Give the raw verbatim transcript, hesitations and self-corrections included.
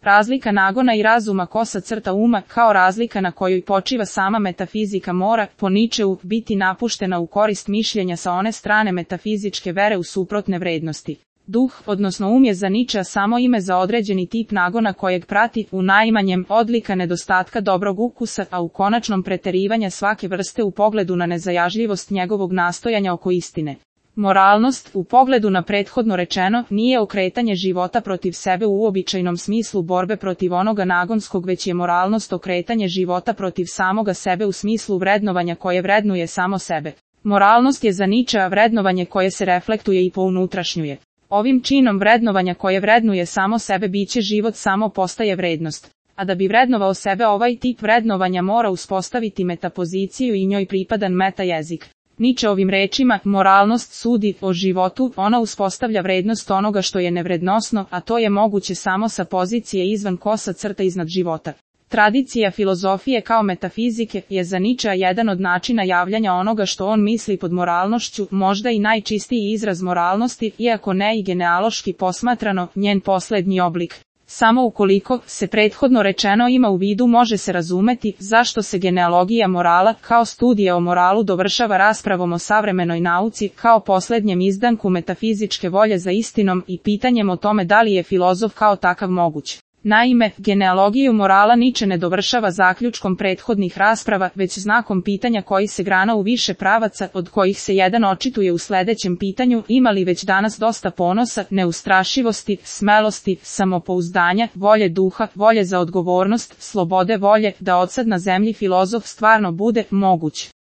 Razlika nagona i razuma kosa crta uma, kao razlika na kojoj počiva sama metafizika mora, po Ničeu, biti napuštena u korist mišljenja sa one strane metafizičke vere u suprotne vrednosti. Duh, odnosno um je za Ničea samo ime za određeni tip nagona kojeg prati, u najmanjem, odlika nedostatka dobrog ukusa, a u konačnom preterivanja svake vrste u pogledu na nezajažljivost njegovog nastojanja oko istine. Moralnost, u pogledu na prethodno rečeno, nije okretanje života protiv sebe u uobičajenom smislu borbe protiv onoga nagonskog, već je moralnost okretanje života protiv samoga sebe u smislu vrednovanja koje vrednuje samo sebe. Moralnost je za Ničea vrednovanje koje se reflektuje i pounutrašnjuje. Ovim činom vrednovanja koje vrednuje samo sebe biće život samo postaje vrednost. A da bi vrednovao sebe ovaj tip vrednovanja mora uspostaviti metapoziciju i njoj pripadan meta jezik. Ničeovim rečima, moralnost sudi o životu, ona uspostavlja vrednost onoga što je nevrednosno, a to je moguće samo sa pozicije izvan kosa crta iznad života. Tradicija filozofije kao metafizike je za Ničea jedan od načina javljanja onoga što on misli pod moralnošću, možda i najčistiji izraz moralnosti, iako ne i genealoški posmatrano, njen poslednji oblik. Samo ukoliko se prethodno rečeno ima u vidu može se razumeti zašto se genealogija morala kao studija o moralu dovršava raspravom o savremenoj nauci kao poslednjem izdanku metafizičke volje za istinom i pitanjem o tome da li je filozof kao takav moguć. Naime, genealogiju morala Niče ne dovršava zaključkom prethodnih rasprava, već znakom pitanja koji se grana u više pravaca, od kojih se jedan očituje u sledećem pitanju: ima li već danas dosta ponosa, neustrašivosti, smelosti, samopouzdanja, volje duha, volje za odgovornost, slobode volje, da odsad na zemlji filozof stvarno bude moguć.